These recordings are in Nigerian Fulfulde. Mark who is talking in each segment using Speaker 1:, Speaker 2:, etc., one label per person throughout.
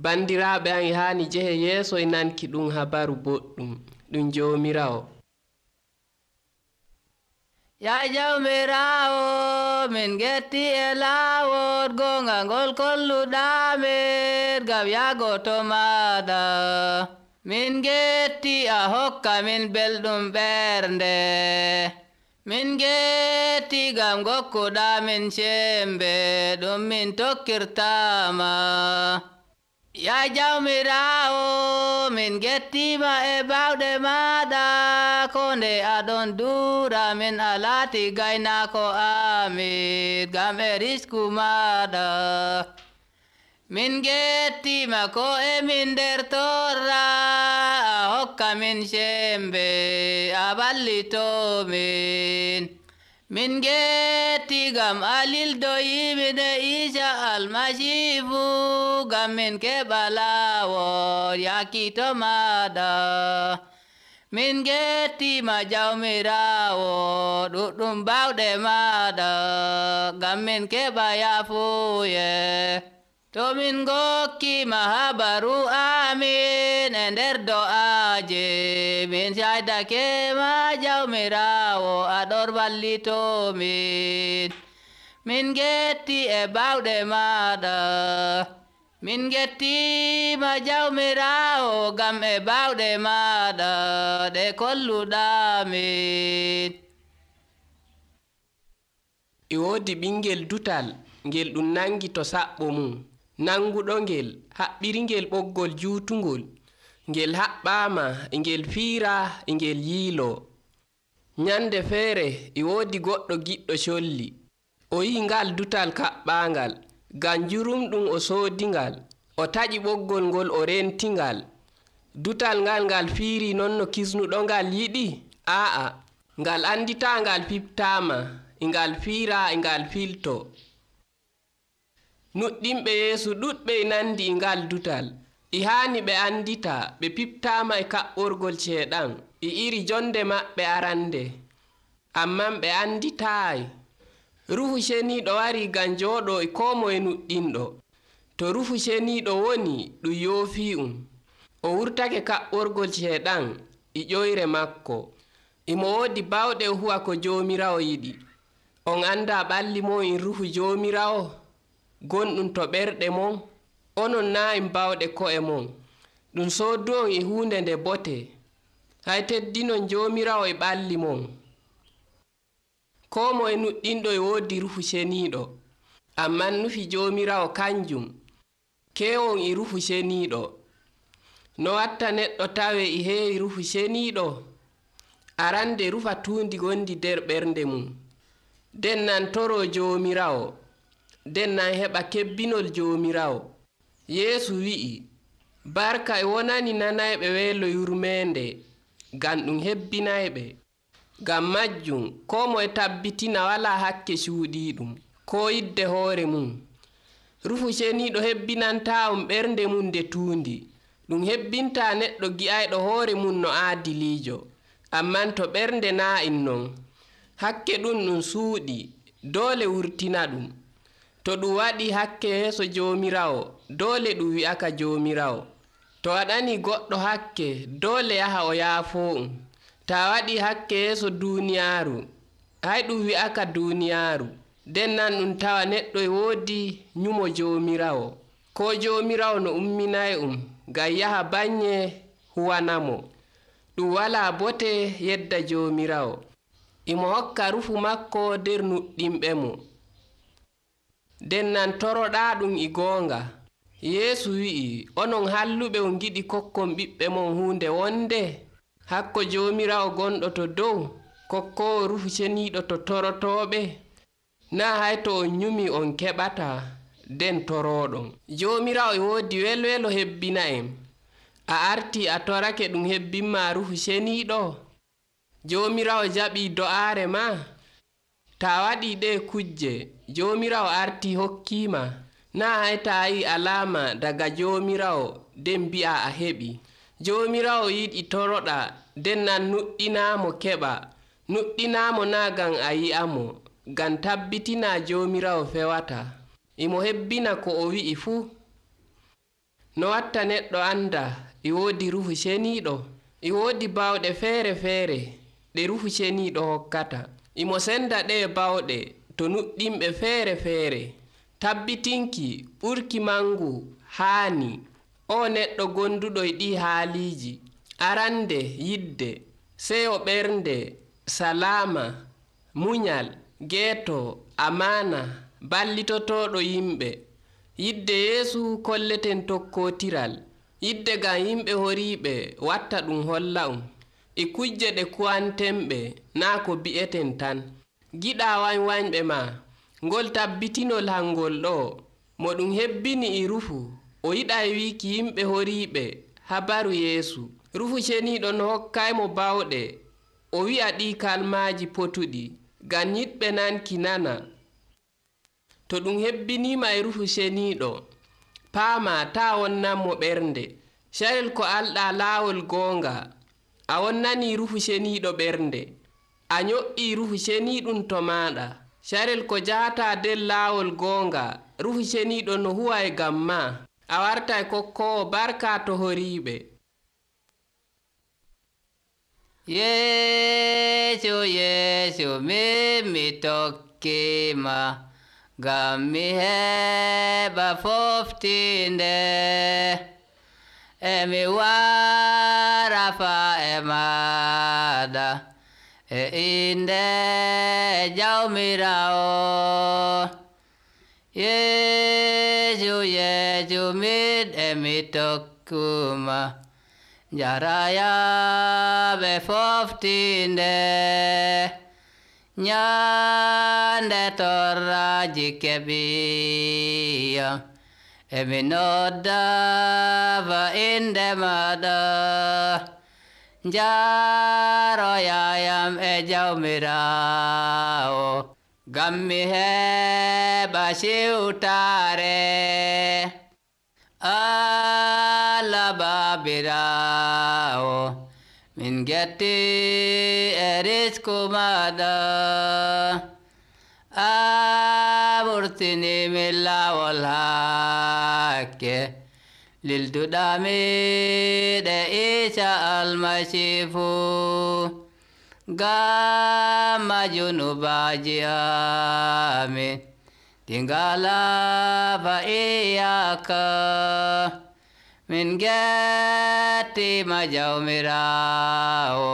Speaker 1: Bandiraaɓe am haani jehe yeeso e nanki ɗum habaru boɗɗum ɗum Joomiraawo.
Speaker 2: Ya Jawmiraawo, min getti e laawol gonga ngol kolluɗamin ngam yaago to maaɗa. Min getti a hokka min belɗum ɓernde. Min getti ngam ngokkuɗamin sembe ɗum min tokkirtama. Ya Jawmiraawo, min gettima e bawɗe maɗa ko nde aɗon duura min a laati gaynako amin ngam e risku maɗa. Min gettima ko emin nder torra a hokka min sembe a ballitomin. Min getti ngam a lildoyimin e Isa Almasiihu ngam min keɓa laawol yaaki to maɗa. Min gettima Jawmiraawo ɗuɗɗum bawɗe maɗa ngam min keɓa yaafuye. To min gokkima habaru amin e nder do'aje min saydake ma Jawmiraawo aɗon wallitomin. Min getti e bawɗe maɗa. Min gettima Jawmiraawo ngam e bawɗe maɗa ɗe kolluɗamin.
Speaker 1: E woodi ɓingel dutal ngel ɗum nangi to saɓɓo mum. Nanguɗo ngel haɓɓiri ngel ɓoggol juutungol. Ngel haɓɓama e ngel fiira e ngel yiilo. Nyande feere e woodi goɗɗo giɗɗo colli. O yi'i ngal dutal kaɓɓangal ngam jurumɗum o soodingal. O taƴi ɓoggol ngol o rentingal. Dutal ngal fiiri non no kisnuɗo ngal yiɗi? Aa, ngal andita ngal fiptama e ngal fiira e ngal filto. Nuɗɗinɓe Yeesu ɗuɗɓe e nandi e ngal dutal. E haani ɓe andita ɓe piptama e kaɓɓorgol ceeɗan e iri jonde maɓɓe arande. Amman ɓe anditaayi. Ruhu Ceniiɗo wari ngam jooɗo e koo moye nuɗɗinɗo. To Ruhu Ceniiɗo woni ɗum yoofi'um. O wurtake kaɓɓorgol ceeɗan e ƴoyre makko. Imo woodi bawɗe o huwa ko Joomiraawo yiɗi. On anda ɓalli mon e Ruhu Joomiraawo gonɗum to ɓerɗe mon. Onon naa en bawɗe ko'e mon. Ɗum soodu'on e huunde nde bote. Hay teddinon Joomiraawo e ɓalli mon. Koo moye nuɗɗinɗo e woodi Ruhu Ceniiɗo. Amman nufi Joomiraawo kanjum keewon e Ruhu Ceniiɗo. No watta neɗɗo tawe e heewi Ruhu Ceniiɗo? Arande rufa tuundi gondi nder ɓernde mum. Den nan toro Joomiraawo. Den nan heɓa kebbinol Joomiraawo. Yeesu wi'i, barka e wonani nanayɓe weelo yurmeende ngam ɗum hebbinayɓe. Ngam majjum koo moye tabbitina walaa hakke cuuɗiiɗum koo yidde hoore mum. Ruhu Ceniiɗo hebbinantaa'on ɓernde mum nde tuundi. Ɗum hebbintaa neɗɗo gi'ayɗo hoore mum no aadiliijo. Amman to ɓernde naa non, hakke ɗum suuɗi doole wurtina ɗum. To ɗum waɗi hakke yeeso Joomiraawo doole ɗum wi'aka Joomiraawo. To waɗani goɗɗo hakke doole yaha o yaafo'um. Ta waɗi hakke yeeso duuniyaaru hay ɗum wi'aka duuniyaaru. Den nan ɗum tawa neɗɗo e woodi nyumo Joomiraawo. Ko Joomiraawo no umminay'um ngam yaha banye huwanamo. Ɗum walaa bote yedda Joomiraawo. Imo hokka Ruhu makko nder nuɗɗinɓe mo. Den nan toroɗaa ɗum e goonga. Yeesu wi'i, onon halluɓe on giɗi kokkon ɓiɓɓe mon huunde wonde? Hakko Joomiraawo gonɗo to dow kokkoowo Ruhu Ceniiɗo to torotooɓe? Naa hay to on nyumi on keɓata den torooɗon. Joomiraawo e woodi welwelo hebbina en. A arti a torake ɗum hebbinma Ruhu Ceniiɗo? Joomiraawo jaɓii do'aare ma? Ta waɗi ɗe kujje Joomiraawo arti hokkiima. Naa hay ta yi alama daga Joomiraawo den mbi'a a heɓi. Joomiraawo yiɗi toroɗa den nan nuɗɗinaamo keɓa. Nuɗɗinaamo naa ngam a yi'amo, ngam tabbitina Joomiraawo fewata. Imo hebbina ko o wi'i fuu. no watta neɗɗo anda e woodi ruhu ceniiɗo? E woodi bawɗe feere feere ɗe ruhu ceniiɗo hokkata. Imo senda ɗe bawɗe to nuɗɗinɓe feere feere. Tabbitinki ɓurki mangu haani o neɗɗo gonduɗo e ɗi haaliiji: arande yidde, seyo ɓernde, salama, munyal, geeto, amana, ballitotoɗo yimɓe. Yidde Yeesu kolleten tokkotiral. Yidde ngam yimɓe horiiɓe watta ɗum holla'um. E kujje ɗe kuwantenɓe naa ko bi'eten tan. Giɗa wanywanyɓe ma ngol tabbitinol hangol ɗo mo ɗum hebbini e ruhu o yiɗa wiiki yimɓe horiiɓe habaru Yeesu. Ruhu ceniiɗo no hokkaymo bawɗe o wi'a ɗi kalmaaji potuɗi ngam yiɗɓe nanki nana. To ɗum hebbiniima e ruhu ceniiɗo, paama taa wonnanmo ɓernde. Carel ko alɗa laawol goonga, a wonnani ruhu ceniiɗo ɓernde, a nyo'ii ruhu ceniiɗum to maaɗa. Carel ko jahata nder laawol goonga, ruhu ceniiɗo no huwa e ngam ma, a wartay kokkowo barka to horiiɓe.
Speaker 2: Yeesu, Yeesu, min mi tokkima, ngam mi heɓa foftinde. E mi wara fa e maɗa e inde Jawmirawo. Yeesu, Yeesu, min e mi tokkuma, jaraya ɓe foftinde. Nyande torraji keɓiyam, e mi nodda fa inde maɗa. Njaroyayam e Jawmirawo, ngam mi heɓa siwtare. Allah Babirawo, min getti e risku maɗa. A wurtini min laawol hakke, lilduɗami ɗe Isa Almasiihu. Ngam junubaji amin ɗi ngala fa iyaka. Min gettima Jawmirawo,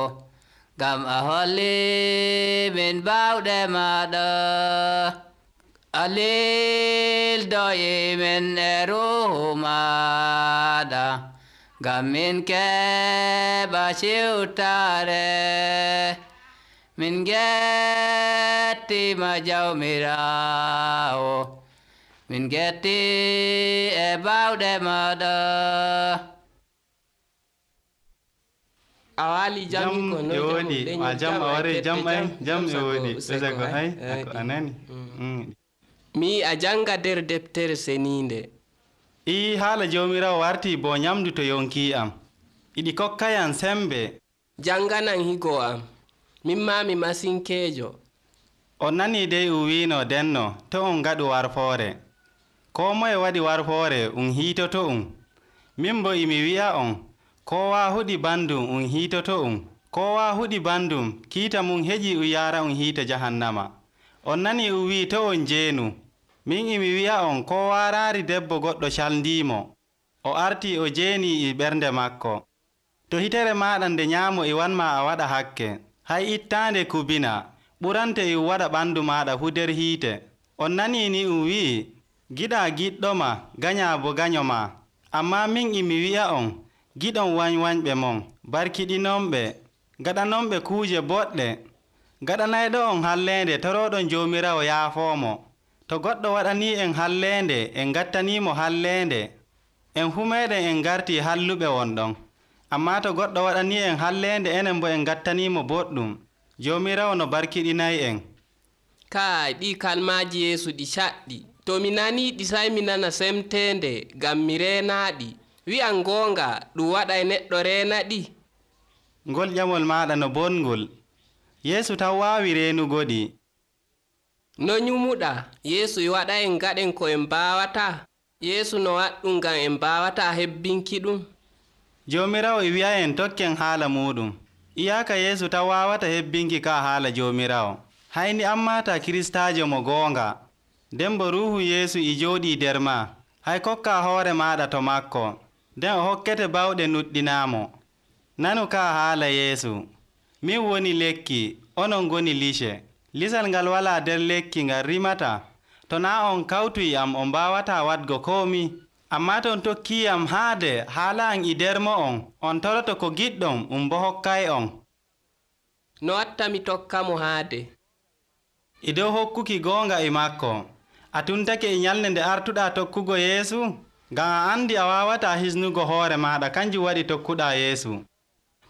Speaker 2: ngam a holli min bawɗe maɗa. A lildoyi min e ruhu maɗa, ngam min keɓa siwtare. Min gettima Jawmirawo, min getti e bawɗe maɗa.
Speaker 1: A wali jangi ko no
Speaker 3: woni a jam a wari jam ay jam e woni ɓesago hay ko anani.
Speaker 1: Mi a janga nder deftere seninde.
Speaker 3: I haala Jawmirawo warti bo nyamdu to yonki am, iɗi kokkayam sembe.
Speaker 1: Janganan higo am, min ma mi masinkejo.
Speaker 3: On nani dey wino denno to on gaɗu warfoore. Ko moye waɗi warfoore hiitoto min bo imi wi'a on, kowa huɗi bandum hiitoto kowa huɗi bandum kiita mum heƴi yara hiita jahannama. On nani wi to on jeenu. Min imi wi'a on, ko waraari debbo goɗɗo caldimo, o arti o jeeni e ɓernde makko. To hitere maɗa nde nyaamo e wanma a waɗa hakke, hay ittande kubina ɓurante e waɗa ɓandu maɗa fu nder hiite. On nani ni wi'i, giɗa giɗɗoma ganya bo ganyoma. Amma min imi wi'a on, giɗon wanywanyɓe mon, barkiɗinomɓe, gaɗanomɓe kuuje boɗɗe, gaɗanayɗo on hallende toroɗon Jawmirawo yaafomo. To goɗɗo waɗani en hallende en gattanimo hallende, en fu meɗen en garti halluɓe wonɗon. Amma to goɗɗo waɗani en hallende enen bo en gattanimo boɗɗum, Jawmirawo no barkiɗinayi en.
Speaker 1: Kai ɗi kalmaji Yeesu ɗi caɗɗi. To mi nani ɗi sai mi nana semtende ngam mi renaɗi. Wi'an gonga ɗum waɗay neɗɗo renaɗi.
Speaker 3: Ngol ƴamol maɗa no bongol. Yeesu taw wawi renugoɗi.
Speaker 1: No nyumuɗa Yeesu waɗa en gaɗen ko en mbawata. Yeesu no waɗɗum ngam en mbaawata hebbinki ɗum.
Speaker 3: Joomiraawo e wi'a'en tokken haala muɗum. Iyaaka Yeesu tan waawata hebbinki ka haala Joomiraawo. Hayni ammata Kiristaajo mo goonga. Nden bo Ruuhu Yeesu e jooɗii nder ma. Hay kokka hoore maaɗa to makko. Nden o hokkete bawɗe nuɗɗinaamo. Nanu ka haala Yeesu. Min woni lekki, onon ngoni lice. Lisal ngal walaa nder lekki ngal rimata. To naa on kawtuy am on mbaawata waɗgo koomi. Ammaa to on tokkii am haade haala am e nder mo on toroto ko giɗɗon bo hokkay on.
Speaker 1: No watta mi tokka mo haade?
Speaker 3: E dow hokkuki goonga e makko. A tuntake e nyalnde nde artuɗaa tokkugo Yeesu? Ngam a andi a waawata hisnugo hoore maaɗa, kanjum waɗi tokkuɗaa Yeesu.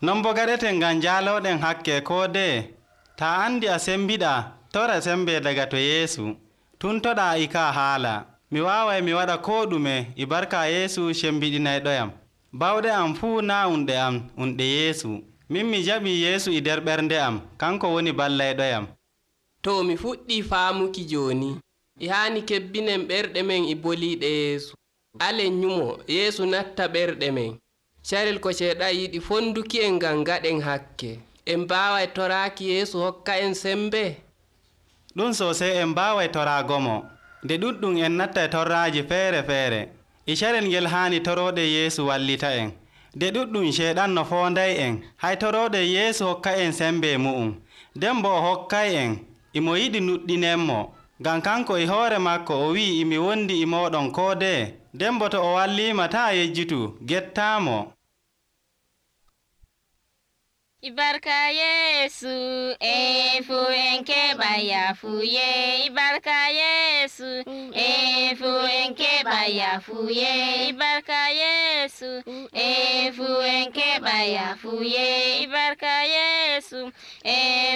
Speaker 3: Non bo gaɗeten ngam jaalooɗen hakke koo dee. Ta andi a sembiɗaa, tora sembe daga to Yeesu. Tuntoɗaa e ka haala. Mi waaway mi waɗa koo ɗume e barka Yeesu sembiɗinayɗoyam. Bawɗe am fuu naa unɗe am, unɗe Yeesu. Min mi jaɓii Yeesu e nder ɓernde am, kanko woni ballayɗoyam.
Speaker 1: To mi fuɗɗii faamuki jooni. E haani kebbinen ɓerɗe men e boliiɗe Yeesu. Alen nyumo Yeesu natta ɓerɗe men. Carel ko Ceeɗan yiɗi fonduki en ngam gaɗen hakke. En mbaaway toraaki Yeesu hokka en sembe.
Speaker 3: Ɗum sosai en mbaaway toraagomo. Nde ɗuɗɗum en nattay torraaji feere-feere. E carel ngel haani torooɗe Yeesu wallita en. Nde ɗuɗɗum Ceeɗan no foonday en. Hay torooɗe Yeesu hokka en sembe mu'um. Nden bo o hokkay en. Imo yiɗi nuɗɗinenmo. Ngam kanko e hoore makko o wi'i imi wondi e mooɗon koo dee. Nden bo to o walliima taa yejjutu, gettaamo.
Speaker 4: Ibarka Yesu, fu en keɓa yafuye. Ibarka Yesu, fu en keɓa yafuye. Ibarka Yesu, fu en keɓa yafuye. Ibarka Yesu,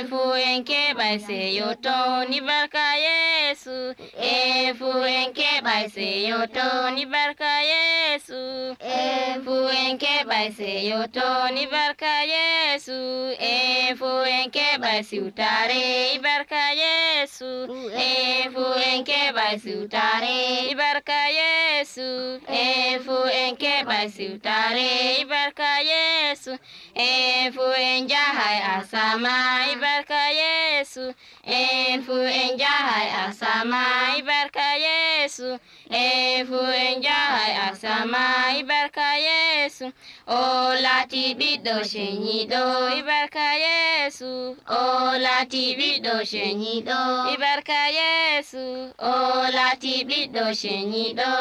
Speaker 4: fu en keɓa seyoton. Ibarka Yesu, fu en keɓa seyoton. Ibarka Yesu, fu en keɓa seyoton. Ibarka Yesu, fu en keɓa siwtare. Ibarka Yesu, fu en keɓa siwtare. Ibarka Yesu, fu en keɓa siwtare. Ibarka Yesu, fu en jahay asama. Ibarka Yesu, fu en jahay asama. Ibarka Yesu, fu en jahay asama. Ibarka Yesu, o laati ɓiɗɗo ceñiɗo. Ibarka Yesu, o laati ɓiɗɗo ceñiɗo. Ibarka Yesu, o laati ɓiɗɗo ceñiɗo.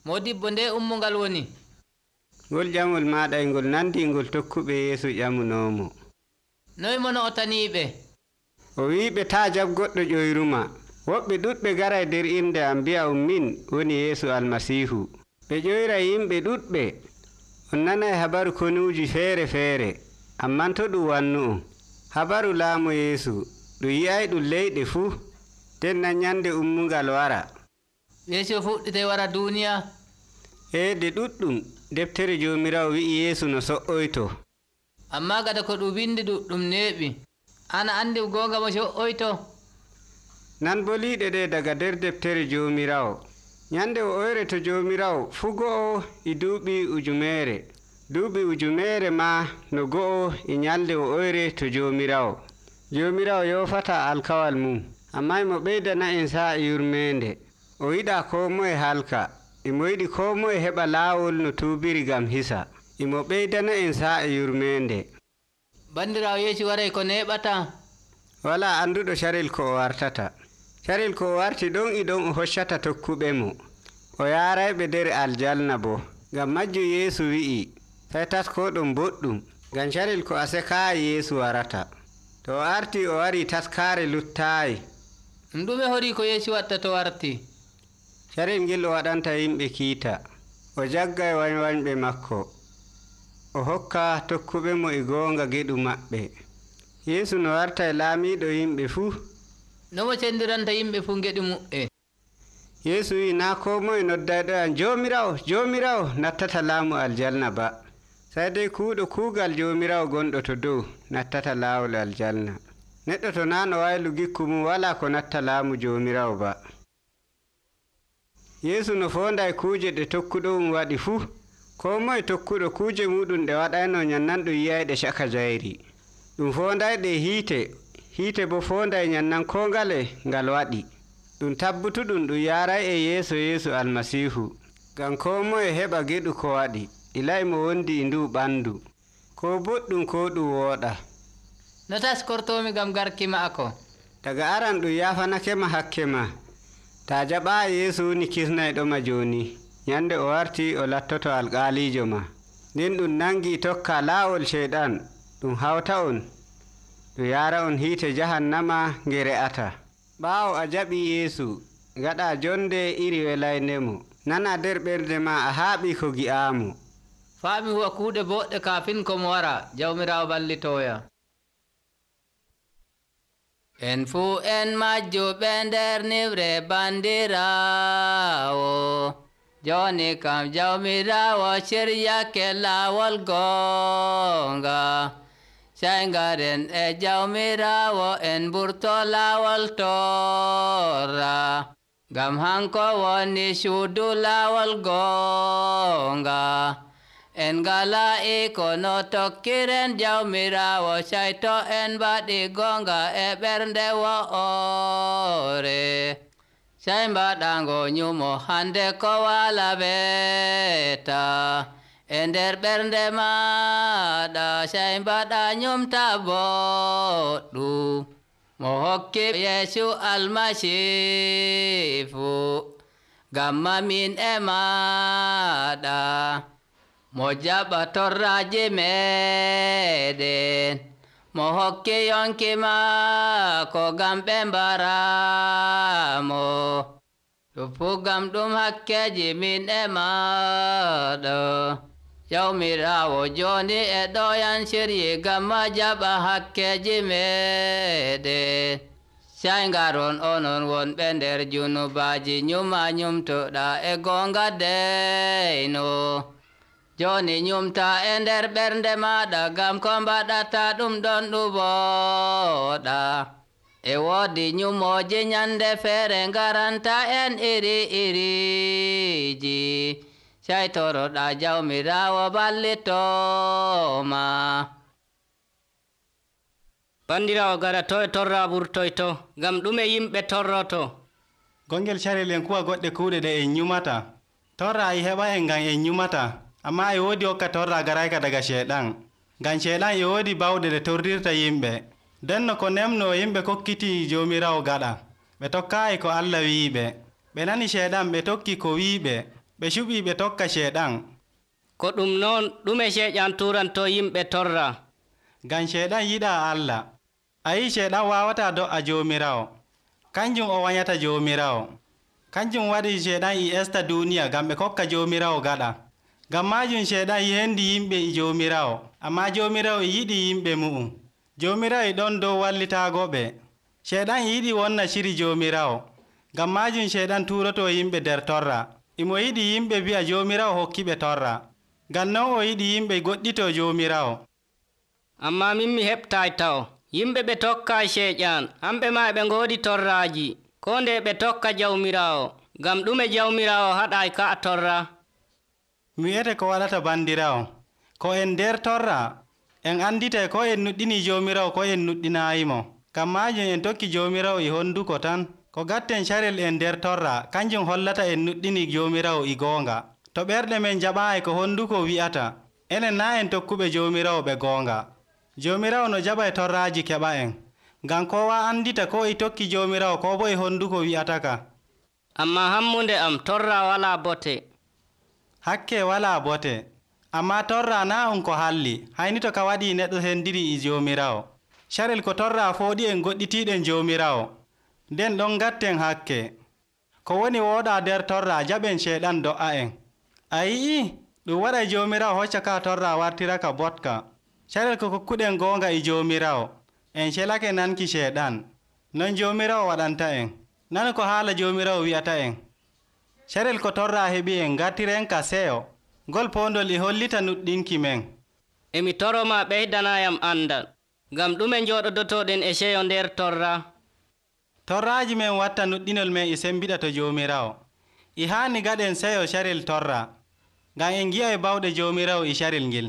Speaker 2: Modibbo nde ummungal woni?
Speaker 5: Ngol ƴamol maɗa e ngol nandi ngol tokkuɓe Yeesu ƴamunoomo.
Speaker 2: Noy mono o taniɓe?
Speaker 5: O wiɓe taa jab goɗɗo ƴoyruma. Woɓɓe ɗuɗɓe garay nder inde am mbi'a min woni Yeesu Almasiihu. Ɓe ƴoyra yimɓe ɗuɗɓe. On nanay habaru konuuji feere-feere, amman to ɗum wannu on. Habaru laamu Yeesu ɗum yi'ay ɗum leyɗe fuu, nden nan nyande ummungal wara.
Speaker 2: Yeesu fuɗɗite wara duniya?
Speaker 5: De ɗuɗɗum deftere Joomiraawo wi'i Yeesu no so''oyto.
Speaker 2: Amma gada ko ɗum windi ɗuɗɗum neeɓi. Ana andi goonga mo so''oyto?
Speaker 5: Nan boliiɗe ɗe daga nder deftere Joomiraawo. Nyande o oyre to Joomiraawo fuu go'o e duuɓi ujumere. Duuɓi ujumere ma no go'o e nyalde o oyre to Joomiraawo. Joomiraawo yoofata alkawal mum, amma imo ɓeydana en sa'a yurmeende. O yiɗa koo moye halka. Imo yiɗi koo moye heɓa laawol no tuubiri gam hisa. Imo ɓeydana en sa'a yurmeende.
Speaker 2: Bandirawo Yeesu waray ko neɓata?
Speaker 5: Wala anduɗo carel ko o wartata. Carel ko o warti ɗon e ɗon o hoccata tokkuɓe mo. O yaarayɓe nder aljanna bo. Ngam majju Yeesu wi'i, sai taskoɗon boɗɗum, ngam carel ko a sekaayi Yeesu warata. To o arti o wari taskaare luttaayi.
Speaker 2: Ɗume hori ko Yeesu watta to warti?
Speaker 5: Carel ngel o waɗanta yimɓe kiita. O jaggay wañwañɓe makko. O hokka tokkuɓe mo e goonga geɗu maɓɓe. Yeesu no warta e laamiiɗo yimɓe fuu.
Speaker 2: Nomo cendiranta yimɓe fuu geɗu mu'e?
Speaker 5: Yeesu wi naa koo moye noddayɗo an Joomiraawo, Joomiraawo nattata laamu aljanna ba. Sai dai kuuɗo kuugal Joomiraawo gonɗo to dow nattata laawol aljanna. neɗɗo to naa no waylu gikku mum walaa ko natta laamu Joomiraawo ba. Yeesu no foonday kuuje ɗe tokkuɗo waɗi fuu, koo moye tokkuɗo kuuje muɗum ɗe waɗayno nyannan ɗum yiyayɗe caka jayri. Ɗum foondayɗe hiite boo foonday nyannan koo ngale ngal waɗi. Ɗum tabbutuɗum ɗum yaaray e yeeso Yeesu Almasiihu, ngam koo moye heɓa geɗu ko waɗi, ilay mo wondi e nduu ɓandu, koo boɗɗum koo ɗum wooɗa.
Speaker 2: No taskortomi ngam garki maako?
Speaker 5: Daga aran ɗum yaafanakema hakke ma. Taa jaɓaa Yeesu woni kisnayɗoma jooni, nyande o warti o lattoto alƙaaliijo ma. Nden ɗum nangi tokka laawol Ceyɗan, ɗum hawta on, ɗum yaara on hiite jahannama nge re'ata. Ɓaawo a jaɓii Yeesu, ngaɗaa jonde iri welaynemo. Nana nder ɓernde ma a haaɓii ko gi'aamo.
Speaker 2: Faami huwa kuuɗe boɗɗe kaafin komo wara, Jawmiraawo ballitooya. En fuu en majjuɓe nder niwre bandiraawo, jooni kam Jawmiraawo ciryake laawol goonga. Sey ngaren e Jawmiraawo en mburto laawol torra, ngam hanko woni suudu laawol goonga. En ngala iko no tokkiren Jawmiraawo, sey to en mbaɗi goonga e ɓernde wo'ore. Sey mbaɗango nyumo hande ko wala weta e nder ɓernde maɗa, sey mbaɗa nyumta boɗɗum mo hokki Yeesu Almasiihu, ngam mamin e maɗa. Mo jaɓa torraji meɗen, mo hokki yonki maako ngam ɓe mbaramo. Ɗum fuu ngam ɗum hakkeji min e maɗa. Jawmiraawo jooni e ɗoyan siryi ngam ma jaɓa hakkeji meɗen. Sey ngaron onon wonɓe nder junubaaji, nyuma nyumtoɗa e goonga deyno. Jooni nyumta e nder ɓernde maɗa, ngam ko mbaɗata ɗum ɗon ɗum wooɗa. E woodi nyumooji nyande feere ngaranta en iri-iriji, sey toroɗa Jawmiraawo ballitooma.
Speaker 6: Bandiraawo gaɗato e torra ɓurtoyto, ngam ɗume yimɓe torroto?
Speaker 3: Gongel carel en kuwa goɗɗe kuuɗe ɗe en nyumata. Torra e heɓa en ngam en nyumata, amma e woodi hokka torra garayka daga Ceyɗan, ngam Ceyɗan e woodi bawɗe ɗe torrirta yimɓe. Denno ko nemno yimɓe kokkiti Joomiraawo gaɗa, ɓe tokkaayi ko Allah wi'iɓe. Ɓe nani Ceyɗan ɓe tokki ko wi'iɓe, ɓe cuɓii ɓe tokka Ceyɗan.
Speaker 6: Ko ɗum noon ɗume Ceyɗan turanto yimɓe torra?
Speaker 3: Ngam Ceyɗan yiɗaa Allah. A yii Ceyɗan waawataa do'a Joomiraawo, kanjum o wanyata Joomiraawo. Kanjum waɗi Ceyɗan e esta duuniya ngam ɓe kokka Joomiraawo gaɗa. Ngam maajum Ceyɗan yendi yimɓe e Joomiraawo, amma Joomiraawo e yiɗi yimɓe mu'um. Joomiraawo e ɗon dow wallitaagoɓe. Ceyɗan e yiɗi wonna ciri Joomiraawo, ngam maajum Ceyɗan turoto yimɓe nder torra. Imo yiɗi yimɓe bi'a Joomiraawo hokkiɓe torra, ngam non o yiɗi yimɓe goɗɗito Joomiraawo.
Speaker 6: Amma min mi heɓtay taw, yimɓe ɓe tokka Ceyɗan, hamɓe ma ɓe ngoodi torraji, ko nde ɓe tokka Jawmiraawo, ngam ɗume Jawmiraawo haɗay ka torra?
Speaker 3: Mi wi'ete ko waɗata bandiraawo, ko en nder torra, en anditay ko en nuɗɗini Joomiraawo ko en nuɗɗinayimo. Ngam maajum en tokki Joomiraawo e honduko tan. Ko gatten carel en nder torra, kanjum hollata en nuɗɗini Joomiraawo e goonga. To ɓerɗe men jaɓaayi ko honduko wi'ata, enen na en tokkuɓe Joomiraawo ɓe goonga. Joomiraawo no jaɓa e torraaji keɓa en, ngam kowa andita ko e tokki Joomiraawo ko bo e honduko wi'ataka.
Speaker 6: Amma hammunde am torra walaa bote.
Speaker 3: Hakke walaa bote, amma torra na on ko halli, hayni to ka waɗi neɗɗo sendiri e Joomiraawo. Carel ko torra fooɗi en goɗɗitiiɗen Joomiraawo, nden ɗon gatten hakke. Ko woni wooɗa nder torra jaɓen Ceyɗan do'a en. A yi'i ɗum waɗay Joomiraawo hocca ka torra wartiraka botka. Carel ko kokkuɗen goonga e Joomiraawo, en celake nanki Ceyɗan. Non Joomiraawo waɗanta en. Nanu ko haala Joomiraawo wi'ata en. Carel ko torra heɓi en gartiren ka seyo, ngol poondol e hollita nuɗɗinki men.
Speaker 6: Emi toroma ɓeydanayam andal. ngam ɗume njooɗodotoɗen e seyo nder torra?
Speaker 3: Torraaji men watta nuɗɗinol men e sembiɗa to Joomiraawo. E haani gaɗen seyo carel torra, ngam en ngi'ay bawɗe Joomiraawo e carel ngel.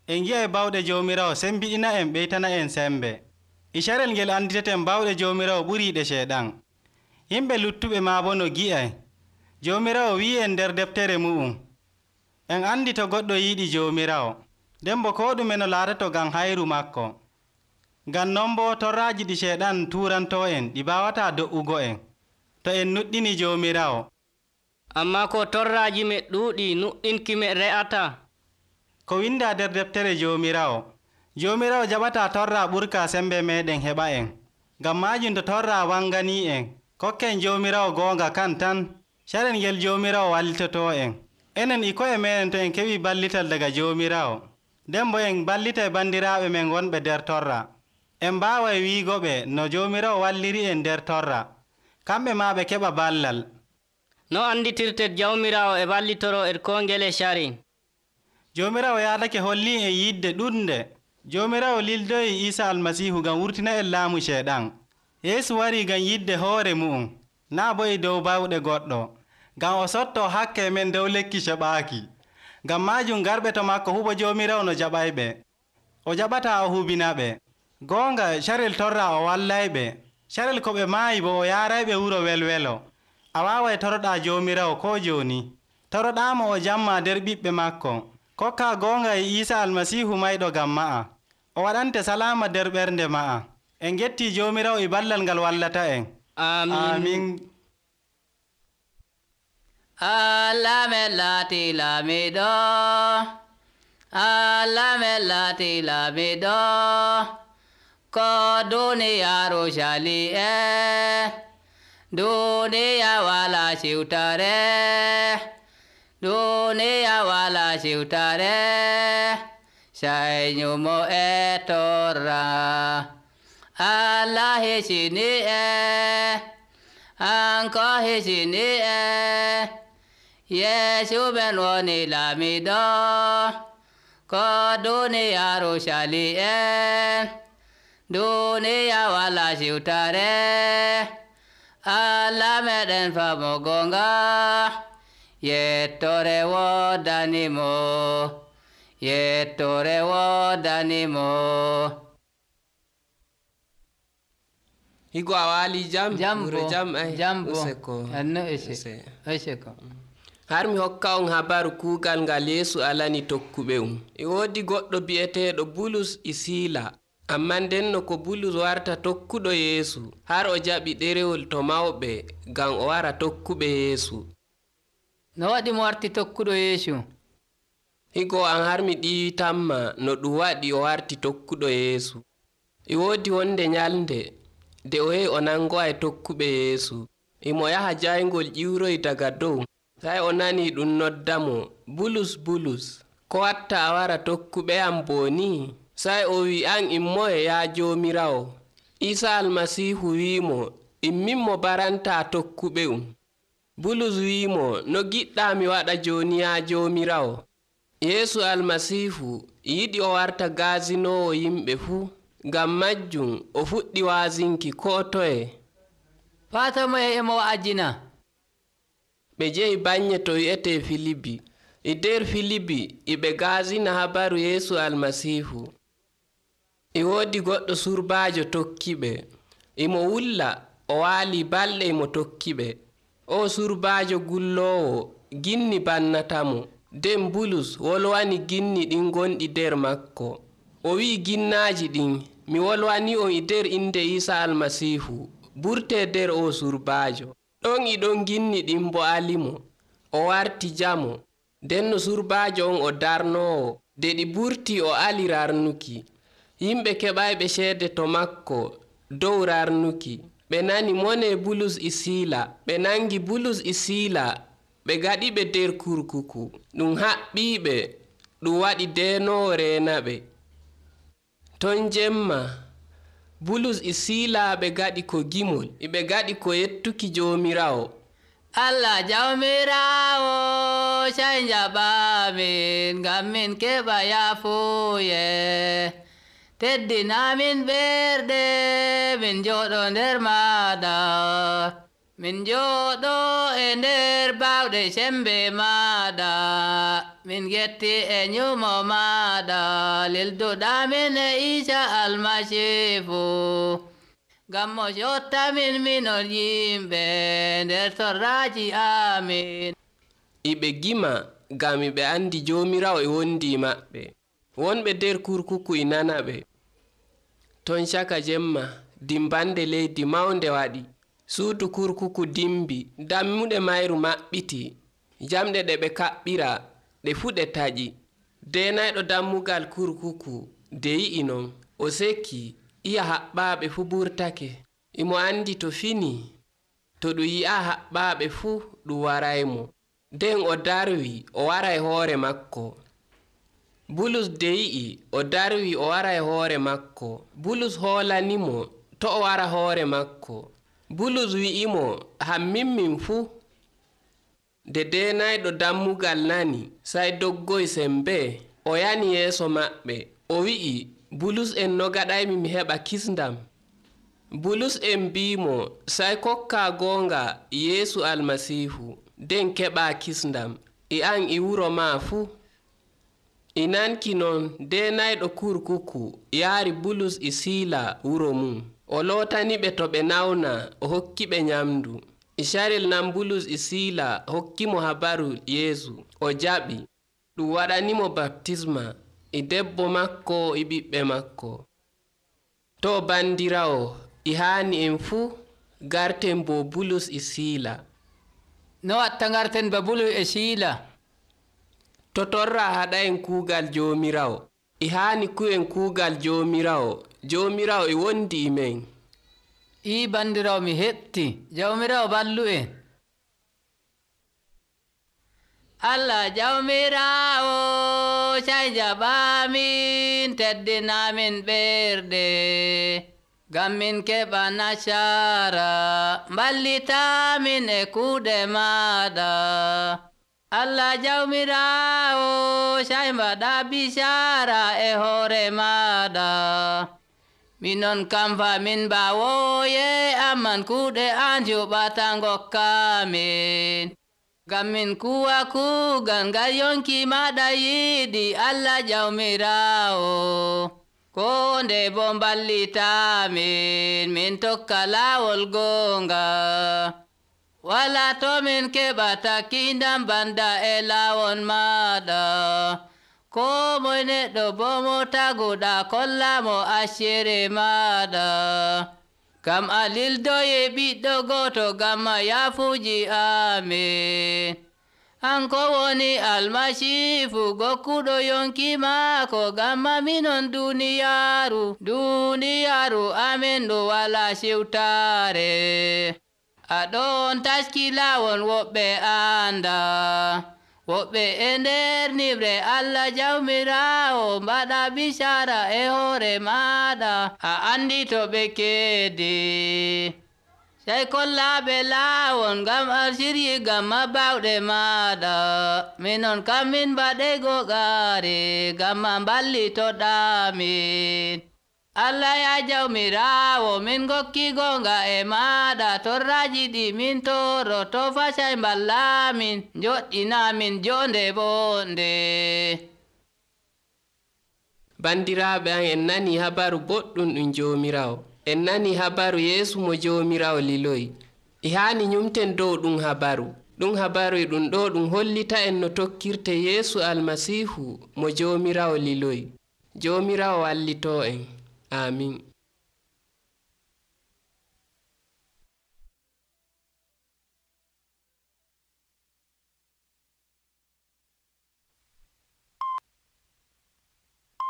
Speaker 3: En ngi'ay bawɗe Joomiraawo sembiɗina en ɓeytana en sembe. E carel ngel anditeten bawɗe Joomiraawo ɓuriiɗe Ceeɗan. Yimɓe luttuɓe maa boo no gi'ay. Joomiraawo wi'i en nder deftere mu'um. En andi to goɗɗo yiɗi Joomiraawo, nden bo koo ɗume no laatato ngam hayru makko. Ngam non boo torraaji ɗi Ceeɗan tuurantoo en ɗi mbaawataa do''ugo en, to en nuɗɗini Joomiraawo.
Speaker 6: Ammaa ko torraaji me ɗuuɗi nuɗɗinki me re'ataa.
Speaker 3: Ko windaa nder deftere Joomiraawo, Joomiraawo jaɓataa torraa ɓurkaa sembe meeɗen heɓa en. Ngam maajum to torraa wanganii en, kokken Joomiraawo goonga kan tan, carel ngel Joomiraawo wallitotoo en. Enen e ko'e meeɗen to en keɓii ballital daga Joomiraawo, nden bo en ballitay bandiraaɓe men wonɓe nder torra. En mbaaway wiigoɓe no Joomiraawo walliri en nder torra, kamɓe maa ɓe keɓa ballal.
Speaker 6: No anditirtet Jawmiraawo e ballitoroo ed koo ngele cari?
Speaker 3: Joomiraawo yaadake hollii en yidde ɗuɗnde. Joomiraawo lildoyi Iisaa Almasiihu ngam wurtina en laamu Ceeɗan. Yeesu warii ngam yidde hoore mu'um, naa bo e dow bawɗe goɗɗo, ngam o sottoo hakke men dow lekki ceɓaaki. Ngam maajum garɓe to makko huɓo Joomiraawo no jaɓayɓe. O jaɓataa o hubinaɓe. Goonga carel torra o wallayɓe. Carel ko ɓe maayi bo o yaarayɓe wuro welwelo. A waaway toroɗaa Joomiraawo koo jooni. Toroɗaamo o jamma nder ɓiɓɓe makko. Kokkaa goonga e Iisaa Almasiihu mayɗo ngam ma'a. O waɗante salaama nder ɓernde ma'a. En gettii Joomiraawo e ballal ngal wallata en. Amiin.
Speaker 2: Allah men laati laamiɗo, Allah men laati laamiɗo, ko duniyaaru cali e, duniya wala siwtare, duniya wala siwtare, sai nyumo e torra. Allah hisini e, anko hisini e, Yesu ben woni laamiɗo, ko duniyaaru cali e, duniya wala siwtare, Allah meɗen famo gonga, yettore woddanimo, yettore woddanimo.
Speaker 1: Higo a waali jam?
Speaker 2: Jambo. Anno eseko.
Speaker 1: Har mi hokka on habaru kuugal ngal Yeesu alani tokkuɓe e woodi goɗɗo bi'eteeɗo Bulus e Siila. Amma ndenno ko Bulus warta tokkuɗo Yeesu, har o jaɓi ɗerewol to mawɓe ngam o wara tokkuɓe Yeesu.
Speaker 2: No waɗi mo warti tokkuɗo Yeesu?
Speaker 1: Higo an har mi ɗiwitanma no ɗum waɗi o warti tokkuɗo Yeesu. E woodi wonde nyalnde nde o yahi o nangowa e tokkuɓe Yeesu. Imo yaha jayngol ƴiwroy daga dow. Sai o nani ɗum noddamo, Bulus, Bulus, ko watta a wara tokkuɓe am boni? Sai o wi, an immoye ya Joomiraawo? Iisaa Almasiihu wi'imo, immin mo baranta tokkuɓe Bulus wi'imo, no giɗɗa mi waɗa joni ya Joomiraawo? Yeesu Almasiihu yiɗi o warta gaasinowo yimɓe fuu. Ngam majjum o fuɗɗi waazinki koo toye.
Speaker 2: Fata mo emo wa'ajina.
Speaker 1: Ɓe jehi banye to wi'ete Filibi. E nder Filibi iɓe gaasina habaru Yeesu Almasiihu. E woodi goɗɗo surbaajo tokkiɓe. Imo wulla o waali balɗe imo tokkiɓe. O surbaajo gulloowo ginni bannatamo. Nden Bulus wolwani ginni ɗin gonɗi nder makko. O wi'i ginnaaji ɗin, mi wolwani on e nder inde Iisaa Almasiihu, burte nder o surbaajo. Ɗon e ɗon ginni ɗin bo alimo. O warti jamo. Nden no surbaajo on o darnoowo. De ɗi burti o ali rarnuki. Yimɓe keɓayɓe ceede to makko dow rarnuki. Ɓe nani mone Bulus e Siila. Ɓe nangi Bulus e Siila. Ɓe gaɗiɓe nder kurkuku. Ɗum haɓɓiɓe. Ɗum waɗi deenoowo reenaɓe. Ton jemma Bulus e Siila ɓe gaɗi ko gimol, ɓe gaɗi ko yettuki Joomiraawo.
Speaker 2: Allah Jawmiraawo sai jaɓamin ngam min keɓa yaafuye. teddinamin ɓerɗe min jooɗo nder maɗa, min jooɗo e nder bawɗe sembe maɗa, min getti e nyumo maɗa lilduɗamin e Isa almasihu, ngam mo yottamin minon yimɓe nder torraji amin.
Speaker 1: Iɓe gima ngam ɓe andi Jomirawo e wondi maɓɓe. Wonɓe nder kurkuku e nana ɓe. Ton caka jemma dimbande leydi mawnde waɗi. Suudu kurkuku dimbi, dammuɗe mayru maɓɓiti, jamɗe ɗe ɓe kaɓɓira ɗe fu ɗe taƴi. Denayɗo dammugal kurkuku de yi'i non, o sekki, iya haɓɓaaɓe fu ɓurtake. Imo andi to fini, to ɗum yi'a haɓɓaaɓe fu ɗum waraymo. Nden o darwi o waray hoore makko. Bulus de yi'i o darwi o waray hoore makko. Bulus hoolanimo to o wara hoore makko. Bulus wi'imo hammin fu. De denayɗo dammugal nani, sai doggoy sembe o yani yeeso maɓɓe. O wi'i, Bulus en no gaɗaymi mi heɓa kisndam? Bulus en mbimo, sai kokka gonga Yeesu almasihu, nden keɓa kisndam, e an e wuro ma fu. E nanki non denayɗo kurkuku yaari Bulus e Siila wuro mum. O lootaniɓe to ɓe nawna, o hokkiɓe nyamdu. E carel nan Bulus e Siila hokkimo habaru Yeesu, o jaɓi. Ɗum waɗanimo baptisma e debbo makko e ɓiɓɓe makko. To bandirawo e haani en fuu garten bo Bulus e Siila.
Speaker 2: No watta garten ba Bulus e Siila?
Speaker 1: To torra haɗa en kuugal Jomirawo, e haani ku'en kuugal Jomirawo. Jomirawo e wondi e men.
Speaker 2: I bandirawo mi heɓti. Jawmirawo ballu en. Allah Jawmirawo sai jaɓamin teddinamin ɓerɗe, ngam min keɓa nasara mballitamin e kuuɗe maɗa. Allah Jawmirawo sai mbaɗa bisara e hoore maɗa. Minon kam fa min mbawoye amman kuuɗe an juɓata ngokkamin, ngam min kuwa kuugal ngal yonki maɗa yiɗi Allah Jawmirawo. Ko nde bo mballitamin min tokka laawol gonga. Wala to min keɓata kindam banda e laawol maɗa. Ko moy neɗɗo bo mo taguɗa kollamo accere maɗa. Ngam a lildoye ɓiɗɗo goto ngam yaafuji amin. Hanko woni almasihu gokkuɗo yonki maako ngam minon duniyaaru amin ɗo wala siwtare. Aɗon taski laawol woɓɓe anda, woɓɓe e nder nibre Allah Jawmirawo mbaɗa bisara e hoore maɗa. A andi to ɓe keedi, sai kollaɓe laawol ngam a siryi ngam bawɗe maɗa. Minon kam min mbaɗe gogare ngam mballitoɗamin. Allah ya Jawmirawo min gokki gonga e maɗa. Torraji ɗi min toro to fasai mballamin, joɗɗinamin jonde bonde.
Speaker 1: Bandiraɓe an, en nani habaru boɗɗum ɗum Jomirawo. En nani habaru Yeesu mo Jomirawo liloyi. E haani nyumten dow ɗum habaru. Ɗum habaru ɗum ɗo ɗum hollita en no tokkirte Yeesu almasihu mo Jomirawo liloyi. Jomirawo wallito en. Amin.